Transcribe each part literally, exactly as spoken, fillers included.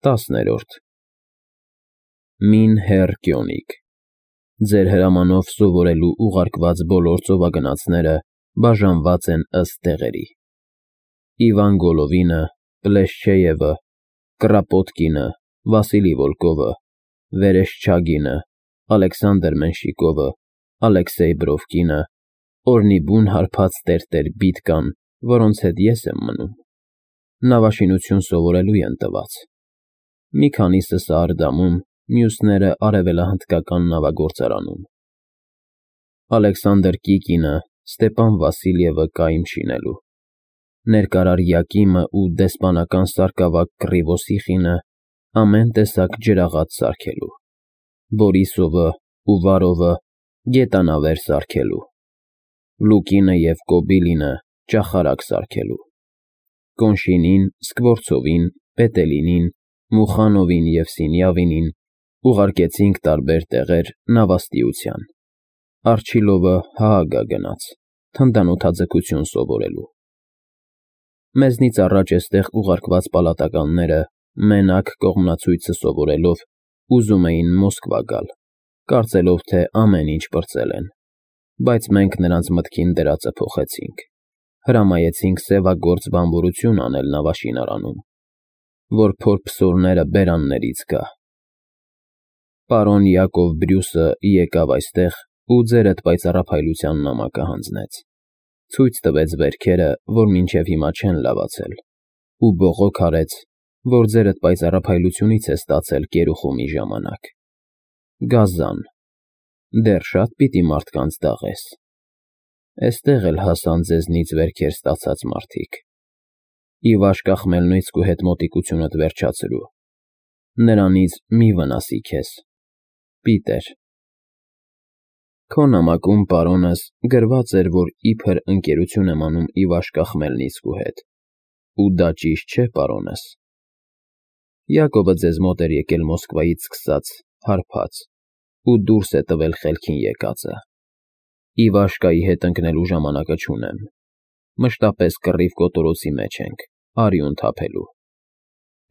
Տասներորդ Մին հեռ Կյոնիկ Ձեր հրամանով սովորելու ուղարկված բոլոր ծովագնացները բաժանված են ըստ տեղերի. Իվան Գոլովինը, Պլեշչեևը, Կրապոտկինը, Վասիլի Վոլկովը, Վերեշչագինը, Ալեքսանդր Մենշիկովը, Ալեքսեյ Բրովկինը, օրնի բուն հարբած տերտեր Բիտկան, որոնց հետ ես եմ մնում, նավաշինություն սովորելու են տված. մի քանիսը Սարդամում, մյուսները Արևելահնդկական նավագործարանում, Ալեքսանդր Կիկինը, Ստեպան Վասիլյևը կայմ շինելու, Ներկարար Յակիմը ու դեսպանական սարկավակ Կռիվոսիխինը ամեն տեսակ ջրաղաց սարքելու, Բորիսովը ու Վարովը գետանավեր սարքելու, Լուկինը և Կոբիլինը ճախարակ սարքելու, Կոնշինին, Սկվորցովին, Պետելինին, Մուխանովին և Սինյավինին ուղարկեցինք տարբեր տեղեր նավաստիության, Արջիլովը Հաագա գնաց, թնդանոթաձգություն սովորելու։ Մեզնից առաջ էստեղ ուղարկված պալատականները մենակ կողմնացույցը սովորելով ուզում էին Մոսկվա գալ, կարծելով, թե ամեն ինչ պրծել են, բայց մենք նրանց մտքին դրածը փոխեցինք, հրամայեցինք սևագործ բանվորություն անել նավաշինարանում, որ փորփսորները բերաններից գա։ Պարոն Յակով Բրյուսը եկավ այստեղ ու ձերդ պայծառափայլության նամակը հանձնեց, ցույց տվեց վերքերը, որ մինչև հիմա չեն լավացել, ու բողոք արեց, որ ձերդ պայծառափայլությունից է ստացել գերուխումի ժամանակ։ Գազան, դեռ շատ պիտի մարդկանց դաղես։ Էստեղ էլ հասան ձեզնից վերքեր ստացած մարդիկ։ Իվաշկա Խմելնոյցկու հետ մոտիկությունդ վերջացրու, նրանից մի վնասի քեզ։ Պիտեր։ Քո նամակում, պարոնս, գրված էր, որ իբր ընկերություն եմ անում Իվաշկա Խմելնիցկու հետ, ու դա ճիշտ չէ, պարոնս։ Յակովը ձեզ մոտ էր եկել Մոսկվայից սկսած, հարբած, ու դուրս է տվել խելքին եկածը։ Իվաշկայի հետ ընկնելու ժամանակը չունեմ, մշտապես կռիվ կոտորոցի մեջ ենք, արյուն թափելու։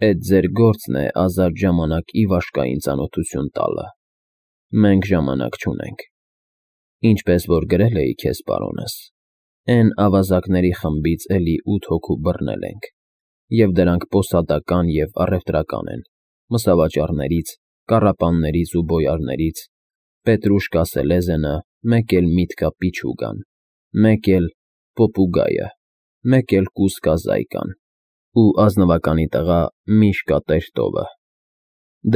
Էդ ձեր գործն է ազատ ժամանակ Իվաշկային ծանոթություն տալը։ Մենք ժամանակ չունենք։ Ինչպես որ գրել էի քեզ, պարոնս, էն ավազակների խմբից էլի ութ հոգու բռնել ենք, և դրանք պոսադական և առևտրական են, մսավաճառներից, կառապաններից ու բոյարներից, Պետրուշկա Սելեզենը, մեկ էլ Միտկա Պիչուգան, մեկ էլ Պոպուգայը, մեկ էլ Կուսկա Զայկան ու ազնվականի տղա Միշկա Տերտովը։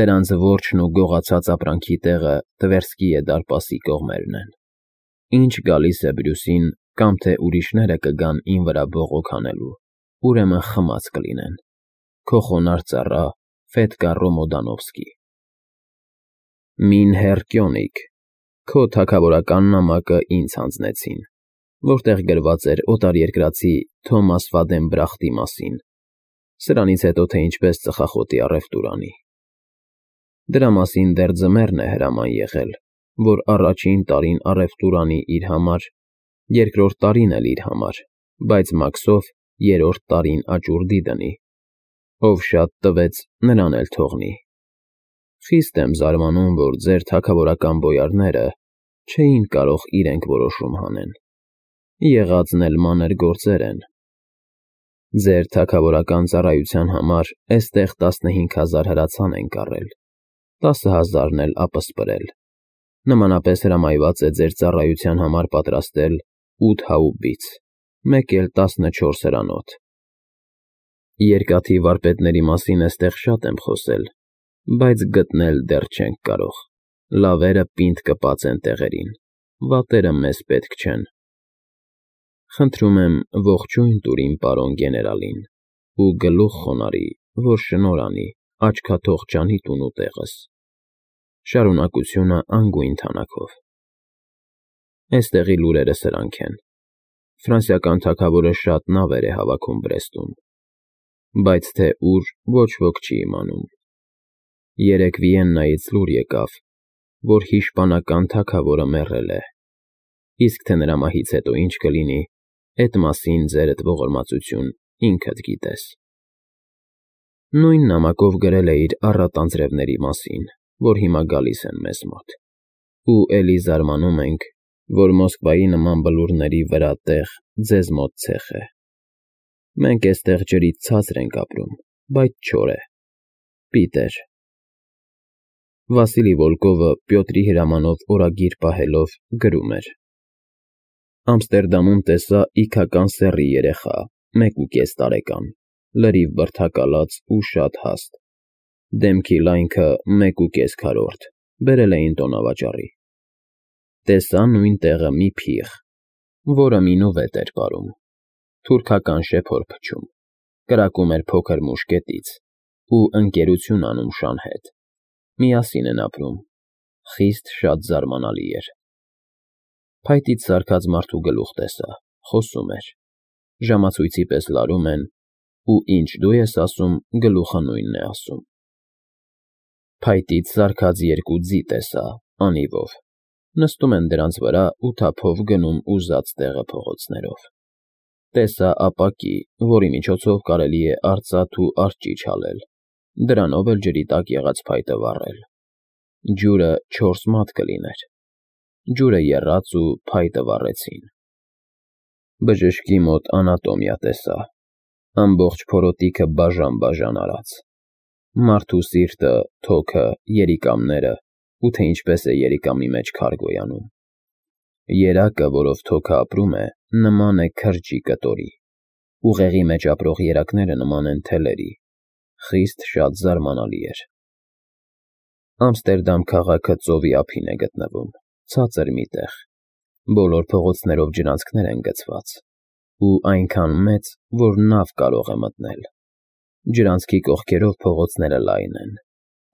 Դրանց որջն ու գողացած ապրանքի տեղը Տվերսկիե դարպասի կողմերն են։ Ինչ գալիս է Բրյուսին, կամ թե ուրիշները կգան իմ վրա բողոք անելու, ուրեմն խմած կլինեն։ Քո խոնարհ ծառա Ֆեդկա Ռոմոդանովսկի։ Մին հեռ Կյոնիկ, քո թագավորական նամակը ինձ հանձնեցին, որտեղ գրված էր օտարերկրացի Թոմաս Վադենբրախտի մասին, սրանից հետո թե ինչպես ծխախոտի առևտուր անի։ Դրա մասին դեռ ձմեռն է հրաման եղել, որ առաջին տարին առևտուր անի իր համար, երկրորդ տարին էլ իր համար, բայց մաքսով երրորդ տարին աճուրդի դնի։ Ով շատ տվեց, նրան էլ թողնի։ Խիստ եմ զարմանում, որ ձեր թագավորական բոյարները չէին կարող իրենք որոշում հանեն։ Եղածն էլ մանր գործեր են։ Ձեր թագավորական ծառայության համար էստեղ տասնհինգ հազար հրացան են կառել, տասը հազարն էլ ապսպրել։ Նմանապես հրամայված է ձեր ծառայության համար պատրաստել ութ հաուբից, մեկ էլ տասնչորս հրանոթ։ Երկաթի վարպետների մասին էստեղ շատ եմ խոսել, բայց գտնել դեռ չենք կարող։ Լավերը պինդ կպած են տեղերին, վատերը մեզ պետք չեն։ Խնդրում եմ ողջույն տուր իմ պարոն գեներալին ու գլուխ խոնարհի, որ շնորհ անի աչքաթող ջանի տունու տեղս։ Շարունակությունը անգույն թանաքով։ Էստեղի լուրերը սրանք են. Ֆրանսիական թագավորը շատ նավեր է հավաքում Բրեստում, բայց թե ուր, ոչ ոք չի իմանում։ Երեկ Վիեննայից լուր եկավ, որ հիշպանական թագավորը մեռել է, իսկ թե նրա մահից հետո ինչ կլինի, էդ մասին ձերդ ողորմածություն ինքդ գիտես։ Նույն նամակով գրել է իր առատ անձրևների մասին, որ հիմա գալիս են մեզ մոտ, ու էլի զարմանում ենք, որ Մոսկվայի նման բլուրների վրա տեղ ձեզ մոտ ցեխ է։ Մենք էստեղ ջրից ցածր ենք ապրում, բայց չոր է։ Պիտեր։ Վասիլի Վոլկովը Պյոտրի հրամանով օրագիր պահելով գրում էր. Ամստերդամում տեսա իգական սեռի երեխա, մեկուկես տարեկան, լրիվ բրդակալած ու շատ հաստ, դեմքի լայնքը մեկուկես քառորդ, բերել էին տոնավաճառի։ Տեսա նույն տեղը մի փիղ, որը մինուվետ էր պարում, թուրքական շեփոր փչում, կրակում էր փոքր մուշկետից ու ընկերություն անում շան հետ, միասին են ապրում, խիստ շատ զարմանալի էր։ Փայտից սարքած մարդու գլուխ տեսա, խոսում էր, ժամացույցի պես լարում են, ու ինչ դու ես ասում, գլուխը նույնն է ասում։ Փայտից սարքած երկու ձի տեսա, անիվով, նստում են դրանց վրա ու թափով գնում ուզած տեղը փողոցներով։ Տեսա ապակի, որի միջոցով կարելի է արծաթ ու արճիճ հալել, դրանով էլ ջրի տակ եղած փայտը վառել։ Ջուրը չորս մատ կլիներ։ Ջուրը եռաց ու փայտը վառեցին։ Բժշկի մոտ անատոմիա տեսա, ամբողջ փորոտիքը բաժան-բաժան արած, մարդու սիրտը, թոքը, երիկամները ու թե ինչպես է երիկամի մեջ քար գոյանում։ Երակը, որով թոքը ապրում է, նման է քրջի կտորի, ուղեղի մեջ ապրող երակները նման են թելերի, խիստ շատ զարմանալի էր։ Ամստերդամ քաղաքը ծովի ափին է գտնվում, ցածր մի տեղ, բոլոր փողոցներով ջրանցքներ են գցված, ու այնքան մեծ, որ նավ կարող է մտնել։ Ջրանցքի կողքերով փողոցները լայն են,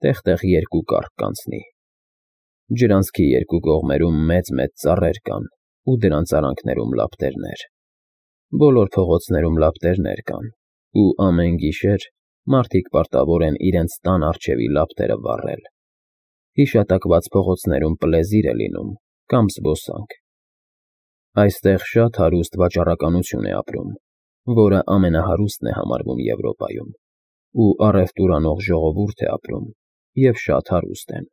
տեղ֊տեղ երկու կառք կանցնի։ Ջրանցքի երկու կողմերում մեծ֊մեծ ծառեր կան ու դրանց արանքներում լապտերներ։ Բոլոր փողոցներում լապտերներ կան, ու ամեն գիշեր մարդիկ պարտավոր են իրենց տան առջևի լապտերը վառել։ Հիշատակված փողոցներում պլեզիր է լինում կամ զբոսանք։ Այստեղ շատ հարուստ վաճառականություն է ապրում, որը ամենահարուստն է համարվում Եվրոպայում, ու առևտուր անող ժողովուրդ է ապրում, և շատ հարուստ են։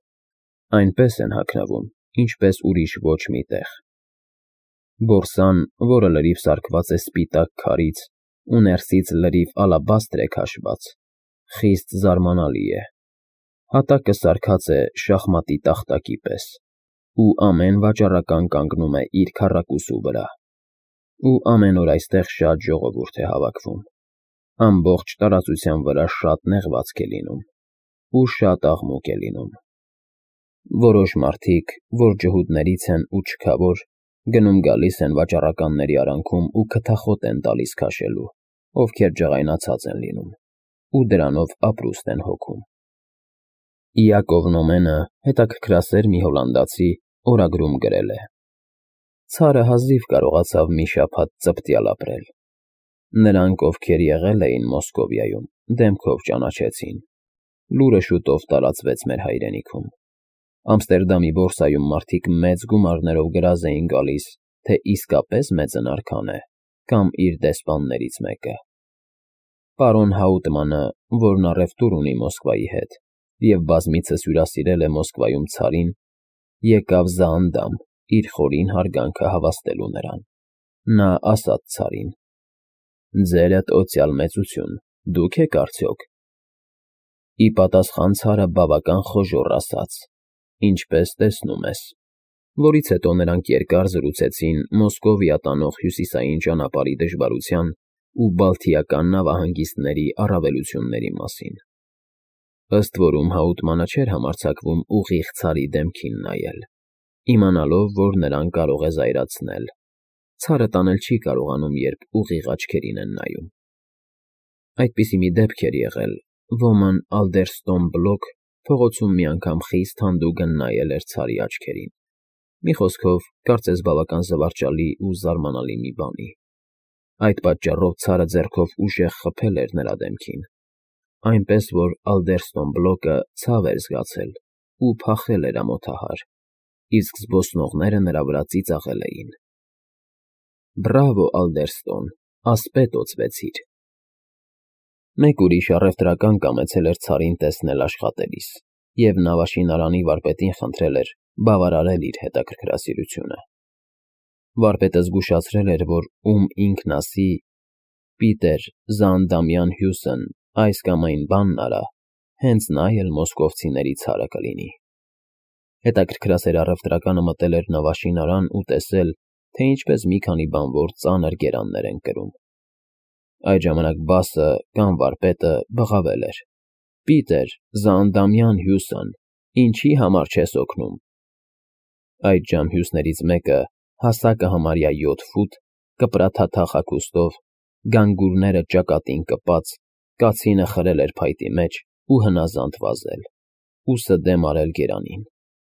Այնպես են հագնվում, ինչպես ուրիշ ոչ մի տեղ։ Բորսան, որը լրիվ սարքված է սպիտակ քարից ու ներսից լրիվ ալաբաստր է քաշված, խիստ զարմանալի է։ Հատակը սարքած է շախմատի տախտակի պես, ու ամեն վաճառական կանգնում է իր քառակուսու վրա, ու ամեն օր այստեղ շատ ժողովուրդ է հավաքվում, ամբողջ տարածության վրա շատ նեղվածք է լինում, ու շատ աղմուկ է լինում։ Որոշ մարդիկ, որ ջհուդներից են ու չքավոր, գնում֊գալիս են վաճառականների արանքում ու քթախոտ են տալիս քաշելու, ովքեր ջղայնացած են լինում, ու դրանով ապրուստ են հոգում։ Իակով Նոմենը, հետաքրքրասեր մի հոլանդացի, օրագրում գրել է. Ցարը հազիվ կարողացավ մի շաբաթ ծպտյալ ապրել։ Նրանք, ովքեր եղել էին Մոսկովիայում, դեմքով ճանաչեցին։ Լուրը շուտով տարածվեց մեր հայրենիքում։ Ամստերդամի բորսայում մարդիկ մեծ գումարներով գրազ էին գալիս, թե իսկապես մեծն արքան է, կամ իր դեսպաններից մեկը։ Պարոն Հաուտմանը, որն առևտուր ունի Մոսկվայի հետ, և բազմիցս հյուրասիրել է Մոսկվայում ցարին, եկավ Զաանդամ իր խորին հարգանքը հավաստելու նրան։ Նա ասաց ցարին. «Ձերդ օծյալ մեծություն, դուք եք արդյոք»։ Ի պատասխան ցարը բավական խոժոռ ասաց. «Ինչպես տեսնում ես», որից հետո նրանք երկար զրուցեցին Մոսկովիա տանող հյուսիսային ճանապարհի դժվարության ու բալթիական նավահանգիստների առավելությունների մասին։ Ըստ որում Հաուտմանը չէր համարձակվում ուղիղ ցարի դեմքին նայել, իմանալով, որ նրան կարող է զայրացնել։ Ցարը տանել չի կարողանում, երբ ուղիղ աչքերին են նայում։ Այդպիսի մի դեպք էր եղել, ոմն Ալդերստոն Բլոկ փողոցում մի անգամ խիստ հանդուգն նայել էր ցարի աչքերին։ Մի խոսքով, կարծես բավական զվարճալի ու զարմանալի մի բանի։ Այդ պատճառով ցարը ձեռքով ուժեղ խփել էր նրա դեմքին, այնպես որ Ալդերստոն Բլոկը ցավ էր զգացել ու փախել էր ամոթահար, իսկ զբոսնողները նրա վրա ծիծաղել էին. «Բրավո, Ալդերստոն, ասպետ օծվեցիր»։ Մեկ ուրիշ առևտրական կամեցել էր Ցարին տեսնել աշխատելիս և նավաշինարանի վարպետին խնդրել էր բավարարել իր հետաքրքրասիրությունը։ Վարպետը զգուշացրել էր, որ ում ինքն ասի. «Պիտեր Զանդամյան Հյուսն այս կամ այն բանն արա», հենց նա էլ մոսկովցիների Ցարը կլինի։ Հետաքրքրասեր առևտրականը մտել էր նավաշինարան ու տեսել, թե ինչպես մի քանի բանվոր ծանր գերաններ են կրում։ Այդ ժամանակ բասը կամ վարպետը բղավել էր. «Պիտեր Զանդամյան Հյուսն, ինչի համար չես օգնում»։ Այդժամ հյուսներից մեկը, հասակը համարյա յոթ ֆուտ, կպրաթաթախ հագուստով, գանգուրները ճակատին կպած, կացինը խրել էր փայտի մեջ ու հնազանդ վազել, ուսը դեմ արել գերանին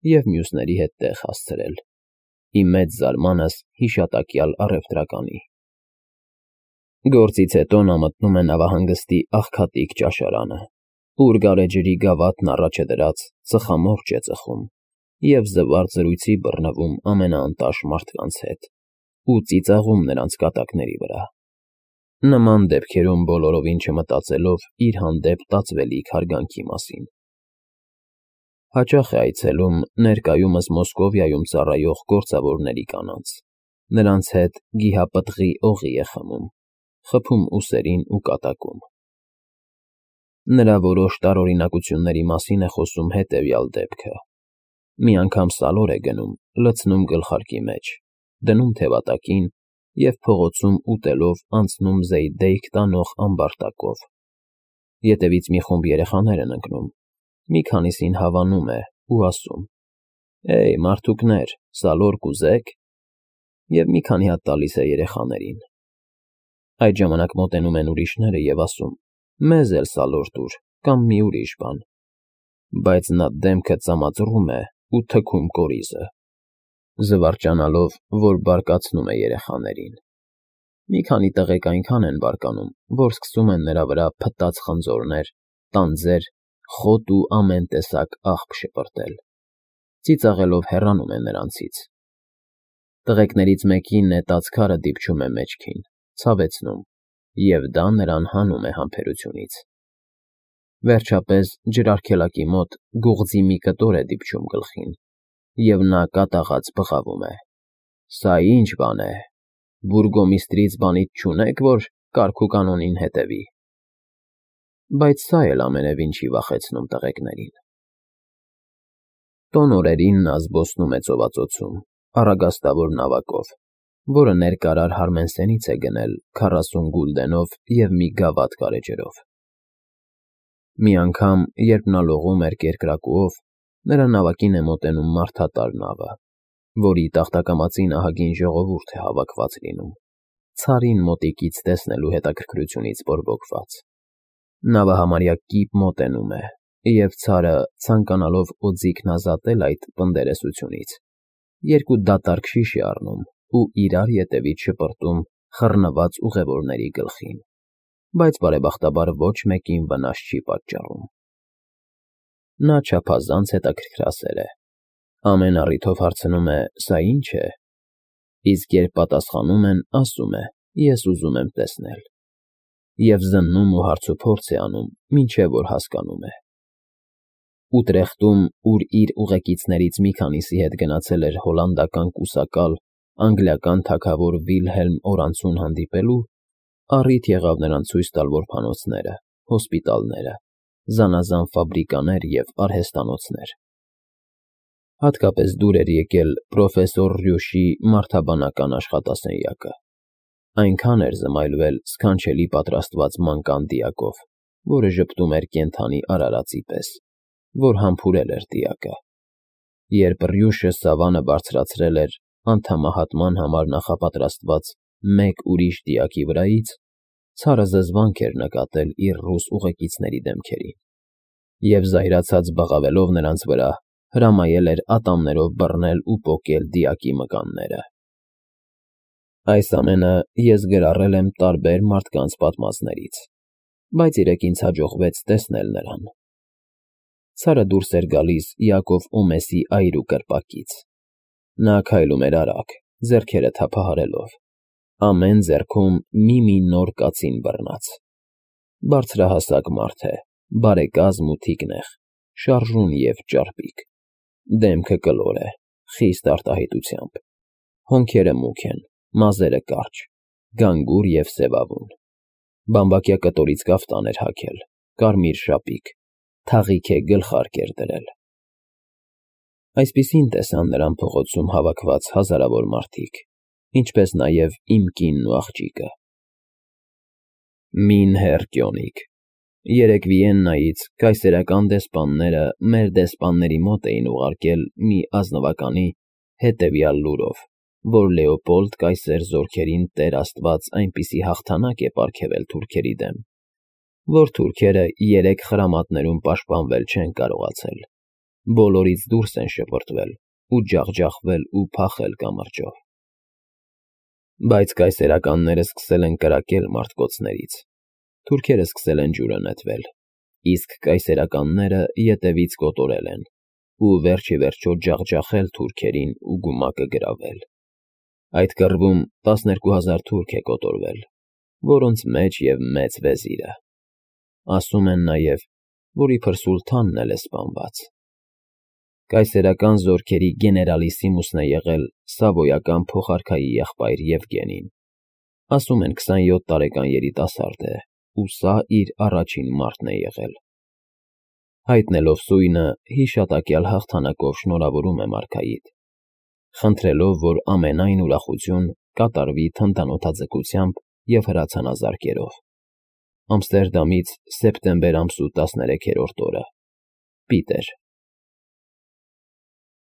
և մյուսների հետ տեղ հասցրել, ի մեծ զարմանս հիշատակյալ առևտրականի։ Գործից հետո նա մտնում է նավահանգստի աղքատիկ ճաշարանը, ուր գարեջրի գավաթն առաջ է դրած, ծխամորճ է ծխում և զվարթ զրույցի բռնվում ամենաանտաշ մարդկանց հետ ու ծիծաղում նրանց կատակների վրա, նման դեպքերում բոլորովին չմտածելով իր հանդեպ տածվելիք հարգանքի մասին։ Հաճախ է այցելում ներկայումս Մոսկովիայում ծառայող գործավորների կանանց, նրանց հետ գիհապտղի օղի է խմում, խփում ուսերին ու կատակում։ Նրա որոշ տարօրինակությունների մասին է խոսում հետևյալ դեպքը. մի անգամ սալոր է գնում, լցնում գլխարկի մեջ, դնում թևատակին և փողոցում ուտելով անցնում զեյդեյք տանող ամբարտակով։ Ետևից մի խումբ երեխաներ են ընկնում, մի քանիսին հավանում է ու ասում. «Էյ, մարդուկներ, սալոր կուզե՞ք»։ Եվ մի քանի հատ տալիս է երեխաներին։ Այդ ժամանակ մոտենում են ուրիշները և ասում. «Մեզ էլ սալոր տուր կամ մի ուրիշ բան»։ Բայց նա դեմքը ծամածռում է ու թքում կորիզը, զվարճանալով, որ բարկացնում է երեխաներին։ Մի քանի տղեկ այնքան են բարկանում, որ սկսում են նրա վրա փտած խնձորներ, տանձեր, խոտ ու ամեն տեսակ աղբ շպրտել։ Ծիծաղելով հեռանում է նրանցից։ Տղեկներից մեկի նետած քարը դիպչում է մեջքին, ցավեցնում, և դա նրան հանում է համբերությունից։ Վերջապես ջրարգելակի մոտ գողձի մի կտոր է դիպչում գլխին, և նա կատաղած բղավում է. «Սա ի՞նչ բան է, բուրգոմիստրից բանիդ չունե՞ք, որ կարգ ու կանոնին հետևի»։ Բայց սա էլ ամենևին չի վախեցնում տղեկներին։ Տոն օրերին նա զբոսնում է ծովածոցում, առագաստավոր նավակով, որը ներկարար Հարմենսենից է գնել քառասուն գուլդենով և մի գավաթ գարեջրով։ Մի անգամ, երբ նա լողում էր կերկրակուով, նրա նավակին է մոտենում մարդատար նավը, որի տախտակամածին ահագին ժողովուրդ է հավաքված լինում, Ցարին մոտիկից տեսնելու հետաքրքրությունից բորբոքված։ Նավը համարյա կիպ մոտենում է, և Ցարը, ցանկանալով օձիքն ազատել այդ պնդերեսությունից, երկու դատարկ շիշ է առնում ու իրար ետևից շպրտում խռնված ուղևորների գլխին, բայց բարեբախտաբար ոչ մեկին վնաս չի պատճառում։ Նա չափազանց հետաքրքրասեր է, ամեն առիթով հարցնում է՝ «Սա ի՞նչ է», իսկ երբ պատասխանում են, ասում է՝ «Ես ուզում եմ տեսնել», և զննում ու հարցուփորձ է անում, մինչև որ հասկանում է։ Ուտրեխտում, ուր իր ուղեկիցներից մի քանիսի հետ գնացել էր հոլանդական կուսակալ, անգլիական թագավոր Վիլհելմ Օրենցուն հանդիպելու, առիթ եղավ նրան ցույց տալ որբանոցները, հոսպիտալները, զանազան ֆաբրիկաներ և արհեստանոցներ։ Հատկապես դուր էր եկել պրոֆեսոր Ռյուշի մարդաբանական աշխատասենյակը։ Այնքան էր զմայլվել սքանչելի պատրաստված մանկան դիակով, որը ժպտում էր կենդանի արարածի պես, որ համբուրել էր դիակը։ Երբ Ռյուշը սավանը բարձրացրել էր անդամահատման համար նախապատրաստված մեկ ուրիշ դիակի վրայից, Ցարը զզվանք էր նկատել իր ռուս ուղեկիցների դեմքերին և, զայրացած բղավելով նրանց վրա, հրամայել էր ատամներով բռնել ու պոկել դիակի մկանները։ Այս ամենը ես գրառել եմ տարբեր մարդկանց պատմածներից, բայց երեկ ինձ հաջողվեց տեսնել նրան։ Ցարը դուրս էր գալիս Յակով Օմեսի այրու կրպակից։ Նա քայլում էր արագ, ձեռքերը թափահարելով, ամեն ձեռքում մի֊մի նոր կացին բռնած։ Բարձրահասակ մարդ է, բարեկազմ ու թիկնեղ, շարժուն և ճարպիկ, դեմքը կլոր է, խիստ արտահայտությամբ, հոնքերը մուգ են, մազերը կարճ, գանգուր և սևավուն, բամբակյա կտորից կաֆտան էր հագել, կարմիր շապիկ, թաղիք է գլխարկ էր դրել։ Այսպիսին տեսան նրան փողոցում հավաքված հազարավոր մարդիկ, ինչպես նաև իմ կինն ու աղջիկը։ Մին հեռ Կյոնիկ, երեկ Վիեննայից կայսերական դեսպանները մեր դեսպանների մոտ էին ուղարկել մի ազնվականի հետևյալ լուրով, որ Լեոպոլդ կայսեր զորքերին Տեր աստված այնպիսի հաղթանակ է պարգևել թուրքերի դեմ, որ թուրքերը երեք խրամատներում պաշտպանվել չեն կարողացել, բոլորից դուրս են շպրտվել ու ջախջախվել ու փախել կամրջով։ Բայց կայսերականները սկսել են կրակել մարտկոցներից, թուրքերը սկսել են ջուրը նետվել, իսկ կայսերականները ետևից կոտորել են ու վերջիվերջո ջախջախել թուրքերին ու գումակը գրավել։ Այդ կռվում տասներկու հազար թուրք է կոտորվել, որոնց մեջ և մեծ վեզիրը։ Ասում են նաև, որ իբր սուլթանն էլ է սպանված։ Կայսերական զորքերի գեներալիսիմուսն է եղել Սավոյական փոխարքայի եղբայր Եվգենին, ասում են քսանյոթ տարեկան երիտասարդ է ու սա իր առաջին մարտն է եղել։ Հայտնելով սույնը, հիշատակյալ հաղթանակով շնորհավորում եմ արքայիդ, խնդրելով, որ ամենայն ուրախություն կատարվի թնդանոթաձգությամբ և հրացանազարկերով։ Ամստերդամից սեպտեմբեր ամսու տասներեքերորդ օրը։ Պիտեր։